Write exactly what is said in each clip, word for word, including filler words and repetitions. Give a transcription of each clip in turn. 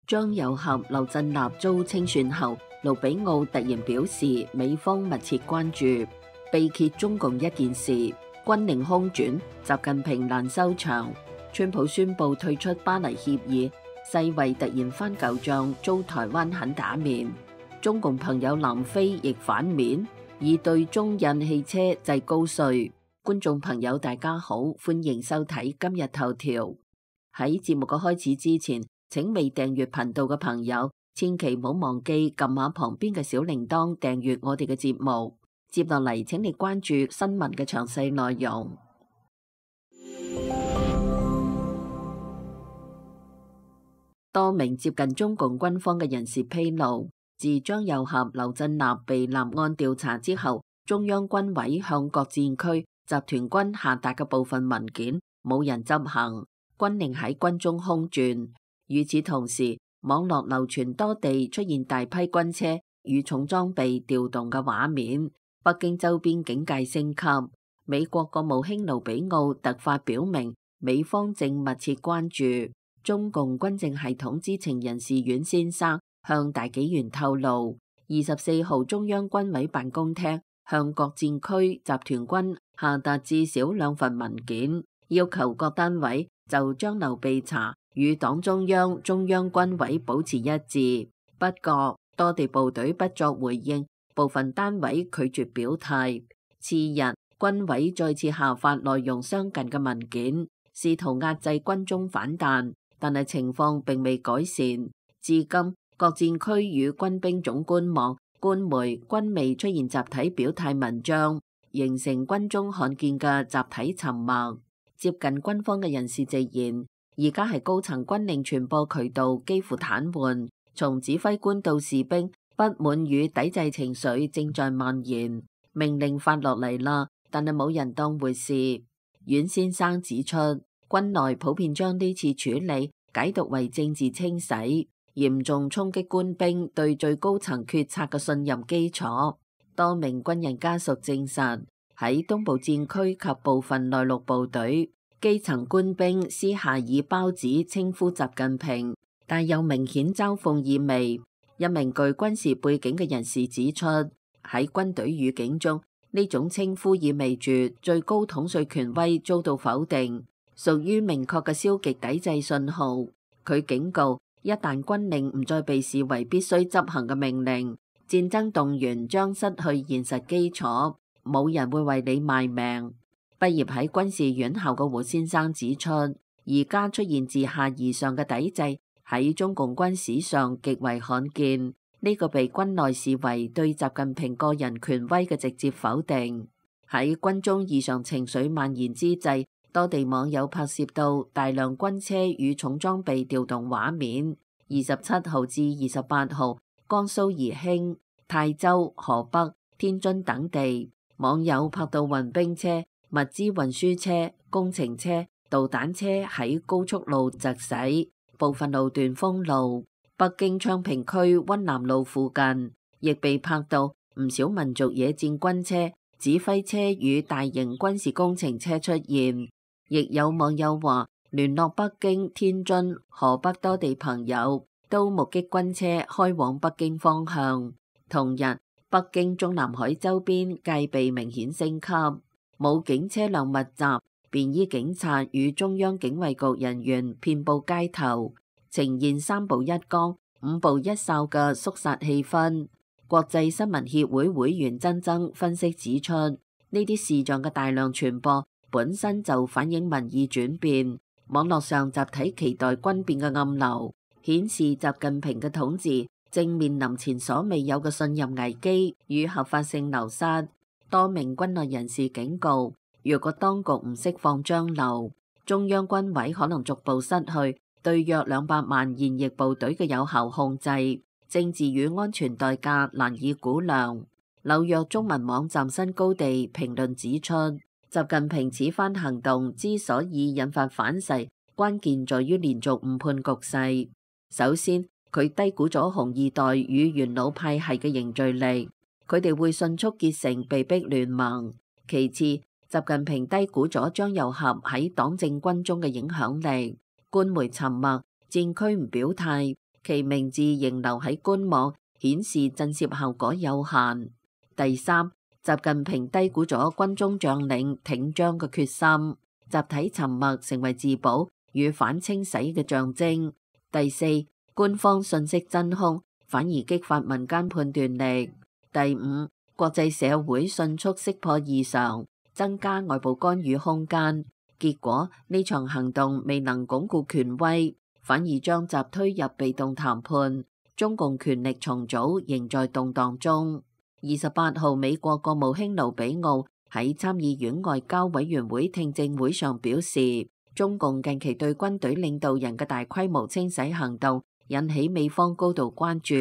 張又俠、劉振立遭清算後，盧比奧突然表示美方密切關注，被揭中共一件事，軍令空轉，習近平難收場。川普宣布退出巴黎協議，世衛突然翻舊賬，遭台灣狠打面。中共朋友南非亦反面，以對中印汽車制高稅。觀眾朋友大家好，歡迎收睇今日頭條。喺節目嘅開始之前，請未訂閱頻道嘅朋友，千祈唔好忘記撳下旁邊嘅小鈴鐺訂閱我哋嘅節目。接落嚟，請你關注新聞嘅詳細內容。多名接近中共軍方嘅人士披露，自張又俠、劉振立被立案調查之後，中央軍委向各戰區集團軍下達嘅部分文件冇人執行，軍令喺軍中空轉。與此同時，網絡流傳多地出現大批軍車與重裝備調動嘅畫面，北京周邊警戒升級。美國國務卿盧比奧突發表明，美方正密切關注。中共軍政系統知情人士阮先生向大紀元透露，二十四號中央軍委辦公廳向各戰區集團軍下達至少兩份文件，要求各單位就張劉被查與黨中央、中央軍委保持一致。不過，多地部隊不作回應，部分單位拒絕表態。次日，軍委再次下發內容相近嘅文件，試圖壓制軍中反彈，但係情況並未改善。至今，各戰區與軍兵總官網、官媒均未出現集體表態文章，形成軍中罕見嘅集體沉默。接近軍方嘅人士直言，而家係高層軍令傳播渠道幾乎癱瘓，從指揮官到士兵，不滿與抵制情緒正在蔓延。命令發落嚟啦，但係冇人當回事。阮先生指出，軍內普遍將呢次處理解讀為政治清洗，嚴重衝擊官兵對最高層決策嘅信任基礎。多名軍人家屬證實，喺東部戰區及部分內陸部隊，基層官兵私下以胞子稱呼習近平，但有明顯嘲諷意味。一名具軍事背景嘅人士指出，喺軍隊語境中，呢種稱呼意味住最高統帥權威遭到否定，屬於明確嘅消極抵制信號。佢警告，一旦軍令唔再被視為必須執行嘅命令，戰爭動員將失去現實基礎，冇人會為你賣命。畢業喺軍事院校嘅胡先生指出，而家出現自下而上嘅抵制喺中共軍史上極為罕見，呢個被軍內視為對習近平個人權威嘅直接否定。喺軍中異常情緒蔓延之際，多地網友拍攝到大量軍車與重裝備調動畫面。二十七號至二十八號，江蘇宜興、泰州、河北、天津等地網友拍到運兵車、物資運輸車、工程車、導彈車喺高速路疾駛，部分路段封路。北京昌平區溫南路附近亦被拍到唔少民族野戰軍車、指揮車與大型軍事工程車出現。亦有網友話，聯絡北京、天津、河北多地朋友都目擊軍車開往北京方向。同日，北京中南海周邊戒備明顯升級，武警車輛密集，便衣警察與中央警衛局人員遍佈街頭，呈現三步一崗、五步一哨嘅肅殺氣氛。國際新聞協會會員曾曾分析指出，呢啲視像嘅大量傳播本身就反映民意轉變，網絡上集體期待軍變嘅暗流，顯示習近平嘅統治正面臨前所未有嘅信任危機與合法性流失。多名軍內人士警告，若果當局唔釋放張劉，中央軍委可能逐步失去對約兩百萬現役部隊嘅有效控制，政治與安全代價難以估量。紐約中文網站新高地評論指出，習近平此番行動之所以引發反噬，關鍵在於連續誤判局勢。首先，佢低估咗紅二代與元老派系嘅凝聚力，佢哋會迅速結成被逼聯盟。其次，習近平低估咗張又俠喺黨政軍中嘅影響力。官媒沉默，戰區唔表態，其名字仍留喺官網，顯示震懾效果有限。第三，習近平低估咗軍中將領挺張嘅決心，集體沉默成為自保與反清洗嘅象徵。第四，官方信息真空，反而激發民間判斷力。第五，國際社會迅速識破異常，增加外部干預空間。結果呢場行動未能鞏固權威，反而將習推入被動談判。中共權力重組仍在動盪中。二十八號，美國國務卿盧比奧喺參議院外交委員會聽證會上表示，中共近期對軍隊領導人嘅大規模清洗行動引起美方高度關注。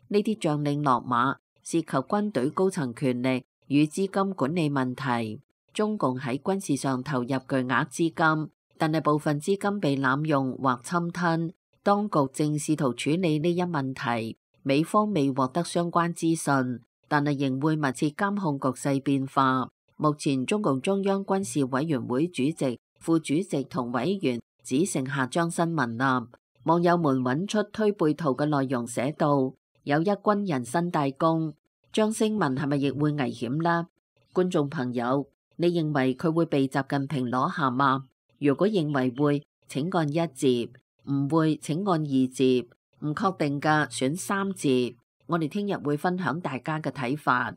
呢啲將領落馬涉及軍隊高層權力與資金管理問題。中共喺軍事上投入巨額資金，但係部分資金被濫用或侵吞。當局正試圖處理呢一問題，美方未獲得相關資訊，但係仍會密切監控局勢變化。目前中共中央軍事委員會主席、副主席同委員只剩下張新民啦。網友們揾出推背圖嘅內容，寫到有一軍人新大功，張新民係咪亦會危險呢？觀眾朋友，你認為佢會被習近平攞下嗎？如果認為會，請按一字；唔會，請按二字；唔確定嘅選三字。我哋聽日會分享大家嘅睇法。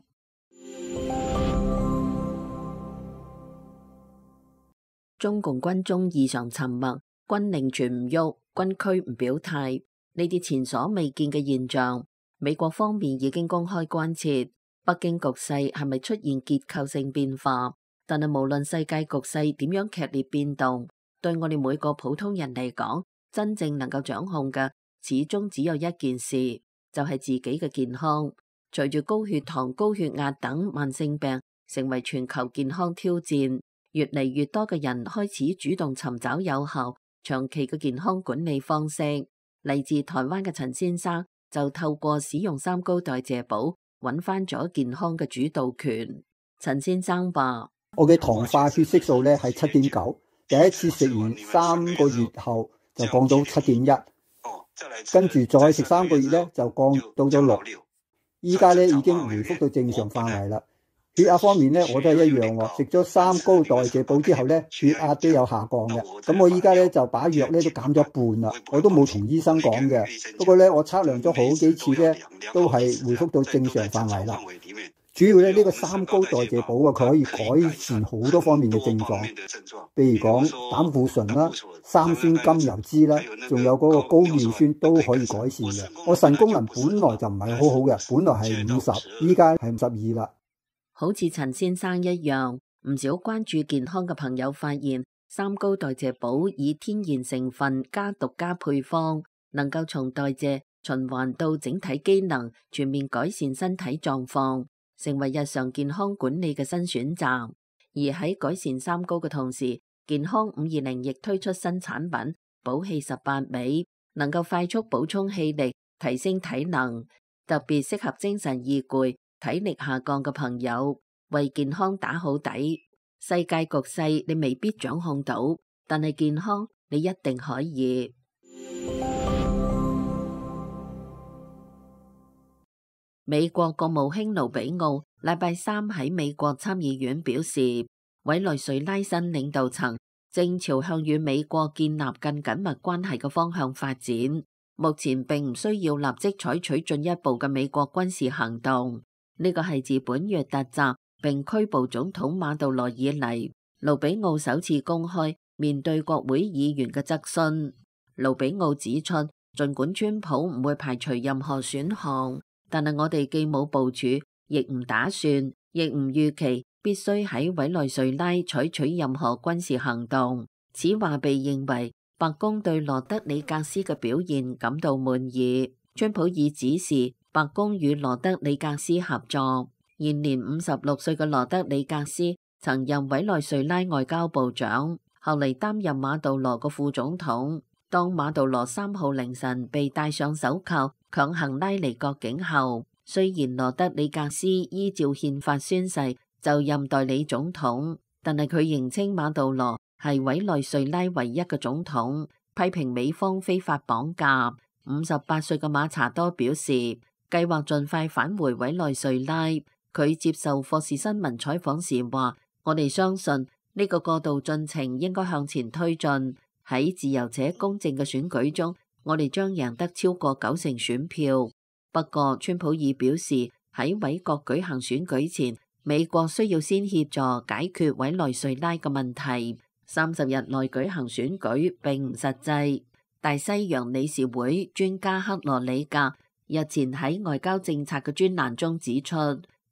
中共軍中異常沉默，軍令全唔喐，軍區唔表態，呢啲前所未見嘅現象，美國方面已經公開關切北京局勢係咪出現結構性變化。但係無論世界局勢點樣劇烈變動，對我哋每個普通人嚟講，真正能夠掌控嘅始終只有一件事，就係自己嘅健康。隨住高血糖、高血壓等慢性病成為全球健康挑戰，越嚟越多嘅人開始主動尋找有效、長期嘅健康管理方式。嚟自台灣嘅陳先生就透過使用三高代謝寶，揾翻咗健康嘅主導權。陳先生話：我嘅糖化血色素咧係七點九，第一次食完三個月後就降到七點一，跟住再食三個月咧就降到咗六，依家咧已經回復到正常範圍啦。血壓方面咧我都係一樣喎，食咗三高代謝寶之後咧血壓都有下降嘅。咁我依家咧就把藥咧都減咗一半啦，我都冇同醫生講嘅。不過咧我測量咗好幾次咧都係回復到正常範圍啦。主要咧呢個三高代謝寶啊，佢可以改善好多方面嘅症狀，譬如講膽固醇啦、三酸甘油酯啦，仲有嗰個高尿酸都可以改善嘅。我腎功能本來就唔係好好嘅，本來係五十，依家係五十二啦。好似陳先生一樣，唔少關注健康嘅朋友發現，三高代謝寶以天然成分加獨家配方，能夠從代謝循環到整體機能，全面改善身體狀況，成為日常健康管理嘅新選擇。而喺改善三高嘅同時，健康五二零亦推出新產品補氣十八味，能夠快速補充氣力，提升體能，特別適合精神易攰、體力下降嘅朋友，為健康打好底。世界局勢你未必掌控到，但係健康你一定可以。美國國務卿盧比奧禮拜三喺美國參議院表示，委內瑞拉新領導層正朝向與美國建立更緊密關係嘅方向發展，目前並唔需要立即採取進一步嘅美國軍事行動。呢個係自本月突襲並拘捕總統馬杜羅以嚟，盧比奧首次公開面對國會議員嘅質詢。盧比奧指出，儘管川普唔會排除任何選項，但係我哋既冇部署，亦唔打算，亦唔預期必須喺委內瑞拉採取任何軍事行動。此話被認為白宮對羅德里格斯嘅表現感到滿意。川普已指示白宮與羅德里格斯合作。現年五十六歲嘅羅德里格斯曾任委內瑞拉外交部長，後嚟擔任馬杜羅嘅副總統。當馬杜羅三號凌晨被戴上手銬強行拉離國境後，雖然羅德里格斯依照憲法宣誓就任代理總統，但係佢認稱馬杜羅係委內瑞拉唯一嘅總統，批評美方非法綁架。五十八歲嘅馬查多表示，計劃盡快返回委內瑞拉。佢接受霍士新聞採訪時話：我哋相信呢個過渡進程應該向前推進。喺自由且公正嘅選舉中，我哋將贏得超過九成選票。不過，川普爾表示喺委國舉行選舉前，美國需要先協助解決委內瑞拉嘅問題。三十日內舉行選舉並唔實際。大西洋理事會專家克羅里格日前喺外交政策嘅專欄中指出，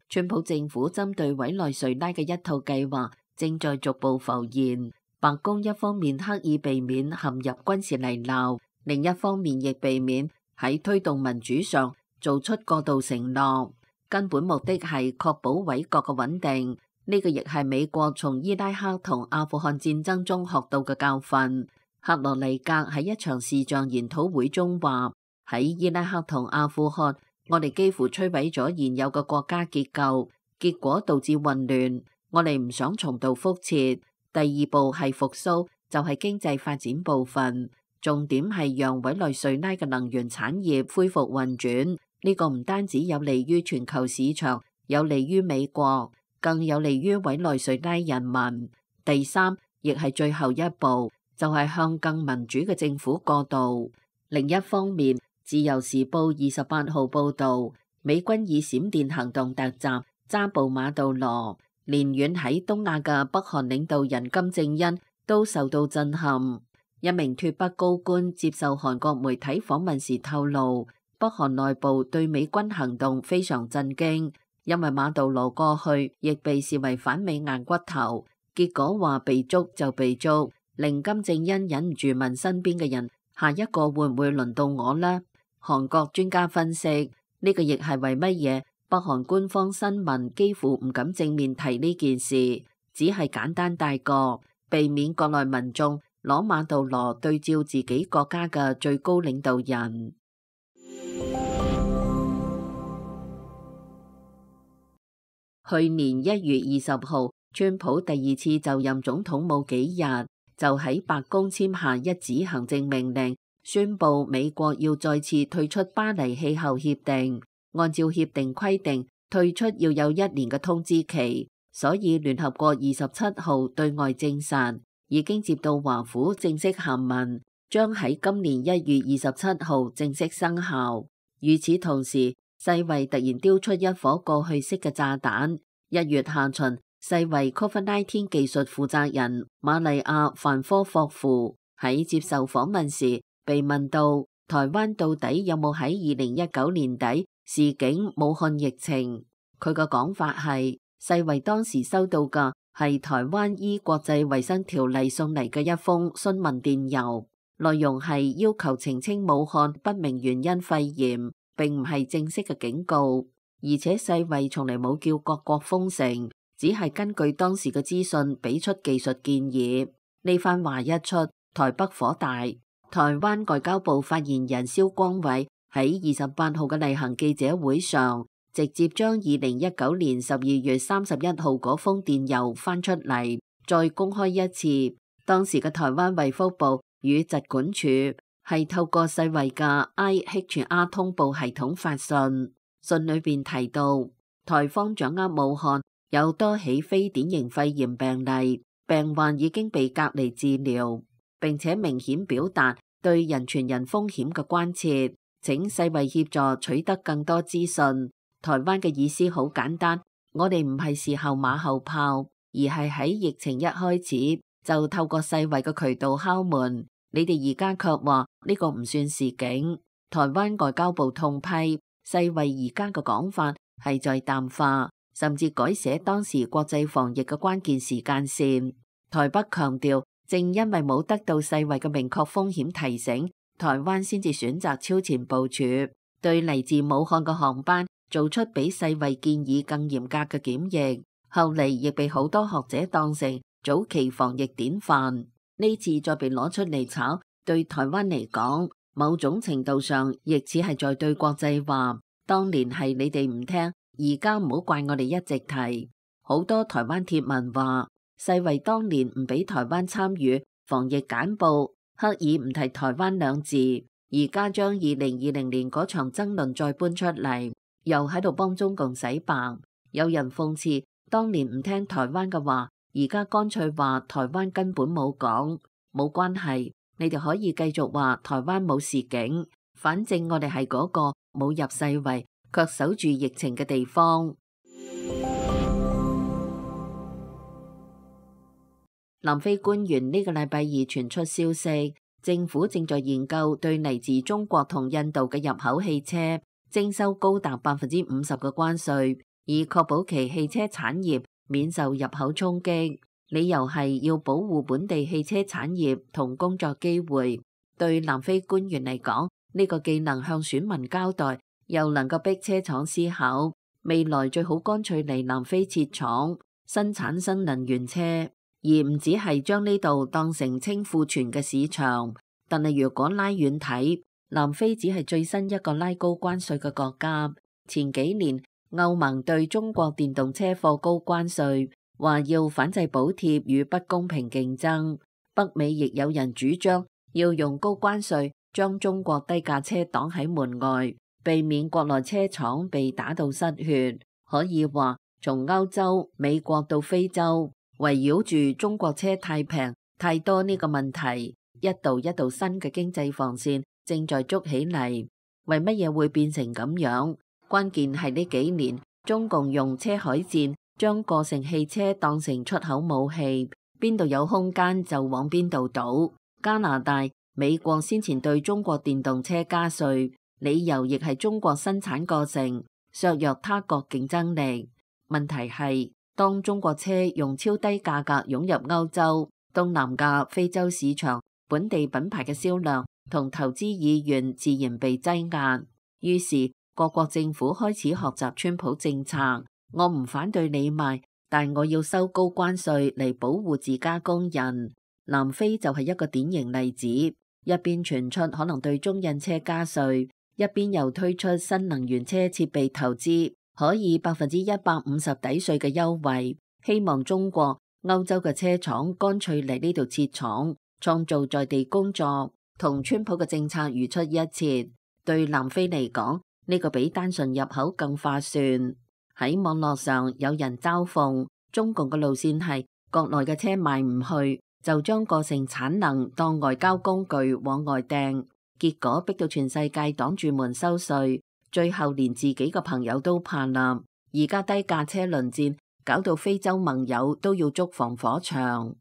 川普政府針對委內瑞拉嘅一套計劃正在逐步浮現。白宮一方面刻意避免陷入軍事泥淖，另一方面亦避免喺推動民主上做出過度承諾，根本目的係確保委國嘅穩定。呢個亦係美國從伊拉克同阿富汗戰爭中學到嘅教訓。克羅尼格喺一場視像研討會中話：喺伊拉克同阿富汗，我哋幾乎摧毀咗現有嘅國家結構，結果導致混亂。我哋唔想重蹈覆轍。第二步係復甦，就係經濟發展部分，重點係讓委內瑞拉嘅能源產業恢復運轉。呢個唔單止有利於全球市場，有利於美國，更有利於委內瑞拉人民。第三，亦係最後一步，就係向更民主嘅政府過渡。另一方面，《自由時報》二十八號報導，美軍以閃電行動突襲抓捕馬杜羅，連遠喺東亞嘅北韓領導人金正恩都受到震撼。一名脫北高官接受韓國媒體訪問時透露，北韓內部對美軍行動非常震驚，因為馬杜羅過去亦被視為反美硬骨頭，結果話被捉就被捉，令金正恩忍唔住問身邊嘅人：下一個會唔會輪到我呢？韓國專家分析，呢個亦係為乜嘢北韓官方新聞幾乎唔敢正面提呢件事，只係簡單帶過，避免國內民眾攞馬杜羅對照自己國家嘅最高領導人。去年一月二十號，川普第二次就任總統冇幾日，就喺白宮簽下一紙行政命令，宣布美國要再次退出巴黎氣候協定。按照協定規定，退出要有一年嘅通知期，所以聯合國二十七號對外證實，已經接到華府正式函文，將喺今年一月二十七號正式生效。與此同時，世衛突然丟出一顆過去式嘅炸彈。一月下旬，世衛 COVID 十九 技術負責人瑪麗亞范科霍夫喺接受訪問時，被問到台灣到底有冇喺二零一九年底示警武漢疫情，佢嘅講法係世衛當時收到嘅係台灣依國際衛生條例送嚟嘅一封詢問電郵，內容係要求澄清武漢不明原因肺炎，並唔係正式嘅警告。而且世衛從嚟冇叫各國封城，只係根據當時嘅資訊俾出技術建議。呢番話一出，台北火大。台灣外交部發言人蕭光偉喺二十八號嘅例行記者會上，直接將二零一九年十二月三十一號嗰封電郵翻出嚟，再公開一次。當時嘅台灣衛福部與疾管署係透過世衛嘅 I H R 通報系統發信。信裏邊提到，台方掌握武漢有多起非典型肺炎病例，病患已經被隔離治療，並且明顯表達對人傳人風險嘅關切，請世衛協助取得更多資訊。台灣嘅意思好簡單，我哋唔係事後馬後炮，而係喺疫情一開始就透過世衛嘅渠道敲門，你哋而家卻話呢個唔算示警。台灣外交部痛批世衛而家嘅講法係在淡化，甚至改寫當時國際防疫嘅關鍵時間線。台北強調，正因為冇得到世衛嘅明確風險提醒，台灣先至選擇超前部署，對嚟自武漢嘅航班做出比世衛建議更嚴格嘅檢疫，後嚟亦被好多學者當成早期防疫典範。呢次再被攞出嚟炒，對台灣嚟講，某種程度上亦似係在對國際話，當年係你哋唔聽，而家唔好怪我哋一直提。好多台灣貼文話，世衛當年唔俾台灣參與防疫簡報，刻意唔提台灣兩字，而家將二零二零年嗰場爭論再搬出嚟，又喺度幫中共洗白。有人諷刺，當年唔聽台灣嘅話，而家乾脆話台灣根本冇講，冇關係，你哋可以繼續話台灣冇示警，反正我哋係嗰個冇入世衛卻守住疫情嘅地方。南非官員呢個禮拜二傳出消息，政府正在研究對嚟自中國同印度嘅入口汽車徵收高達百分之五十嘅關稅，以確保其汽車產業免受入口衝擊。理由係要保護本地汽車產業同工作機會。對南非官員嚟講，呢個既能向選民交代，又能夠逼車廠思考未來最好乾脆嚟南非設廠生產新能源車，而唔只係將呢度當成清庫存嘅市場。但係如果拉遠睇，南非只係最新一個拉高關稅嘅國家。前幾年歐盟對中國電動車課高關稅，話要反制補貼與不公平競爭。北美亦有人主張要用高關稅將中國低價車擋喺門外，避免國內車廠被打到失血。可以話從歐洲、美國到非洲，圍繞住中國車太平太多呢個問題，一道一道新嘅經濟防線正在築起嚟。為乜嘢會變成咁樣？關鍵係呢幾年中共用車海戰將個性汽車當成出口武器，邊度有空間就往邊度倒。加拿大、美國先前對中國電動車加稅，理由亦係中國生產過剩，削弱他國競爭力。問題係，當中國車用超低價格湧入歐洲、東南亞、非洲市場，本地品牌嘅銷量同投資意願自然被擠壓。於是各國政府開始學習川普政策，我唔反對你賣，但我要收高關稅嚟保護自家工人。南非就係一個典型例子，一邊傳出可能對中印車加稅，一邊又推出新能源車設備投資可以百分之一百五十抵稅嘅優惠，希望中國、歐洲嘅車廠乾脆嚟呢度設廠，創造在地工作，同川普嘅政策如出一轍。對南非嚟講，呢個比單純入口更划算。喺網絡上有人嘲諷中共嘅路線係國內嘅車賣唔去，就將個性產能當外交工具往外掟，結果逼到全世界擋住門收稅，最後連自己嘅朋友都怕啦。而家低價車輪戰搞到非洲盟友都要築防火牆。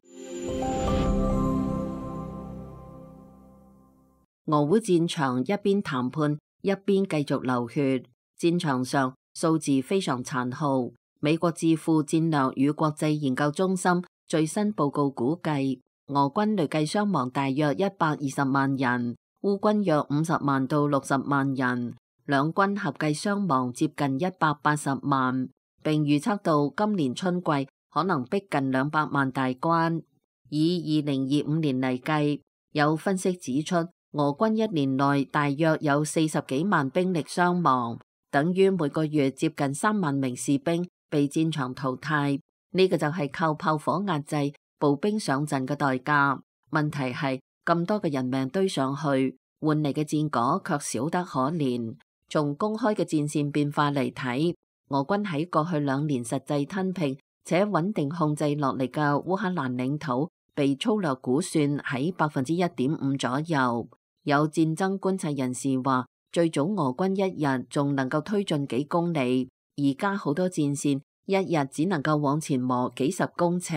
俄烏戰場一邊談判一邊繼續流血，戰場上數字非常殘酷。美國智庫戰略與國際研究中心最新報告估計，俄軍累計傷亡大約一百二十萬人，烏軍約五十萬到六十萬人，兩軍合計傷亡接近一百八十萬，並預測到今年春季可能逼近兩百萬大關。以二零二五年嚟計，有分析指出，俄軍一年內大約有四十幾萬兵力傷亡，等於每個月接近三萬名士兵被戰場淘汰。呢個就係靠炮火壓制步兵上陣嘅代價。問題係咁多嘅人命堆上去，換嚟嘅戰果卻少得可憐。從公開嘅戰線變化嚟睇，俄軍喺過去兩年實際吞併且穩定控制落嚟嘅烏克蘭領土，被粗略估算喺百分之一點五左右。有戰爭觀察人士話，最早俄軍一日仲能夠推進幾公里，而家好多戰線一日只能夠往前磨幾十公尺。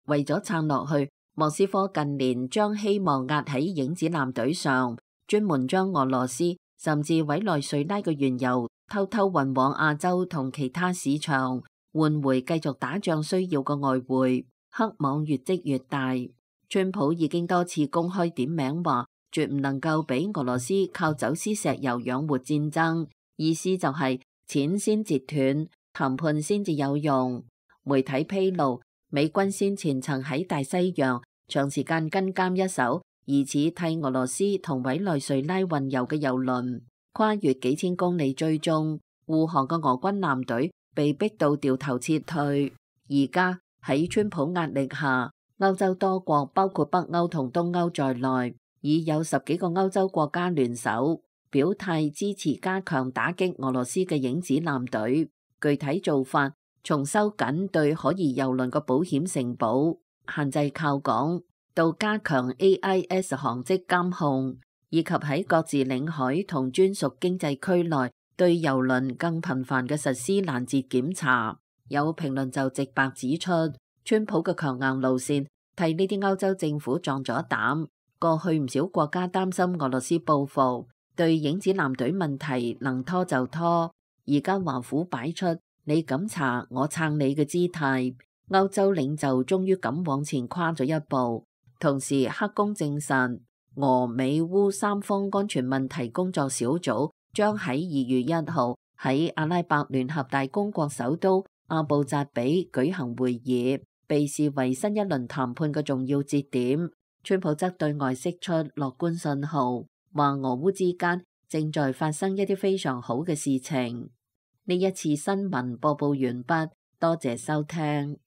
為咗撐落去，莫斯科近年將希望壓喺影子艦隊上，專門將俄羅斯甚至委內瑞拉嘅原油偷偷運往亞洲同其他市場，換回繼續打仗需要嘅外匯。黑網越積越大，川普已經多次公開點名話，絕唔能夠俾俄羅斯靠走私石油養活戰爭，意思就係錢先截斷，談判先至有用。媒體披露，美軍先前曾喺大西洋長時間跟監一艘疑似替俄羅斯同委內瑞拉運油嘅油輪，跨越幾千公里追蹤，護航嘅俄軍艦隊被逼到掉頭撤退。而家喺川普壓力下，歐洲多國包括北歐同東歐在內，已有十幾個歐洲國家聯手表態支持加強打擊俄羅斯嘅影子艦隊。具體做法從收緊對可疑郵輪嘅保險承保、限制靠港，到加強 A I S 航跡監控，以及喺各自領海同專屬經濟區內對郵輪更頻繁嘅實施攔截檢查。有評論就直白指出，川普嘅強硬路線替呢啲歐洲政府壯咗膽。過去唔少國家擔心俄羅斯報復，對影子艦隊問題能拖就拖。而家華府擺出你敢查我撐你嘅姿態，歐洲領袖終於敢往前跨咗一步。同時，黑宮證實俄美烏三方安全問題工作小組將喺二月一號喺阿拉伯聯合大公國首都阿布扎比舉行會議，被視為新一輪談判嘅重要節點。川普則對外釋出樂觀信號，話俄烏之間正在發生一啲非常好嘅事情。呢一次新聞播報完畢，多謝收聽。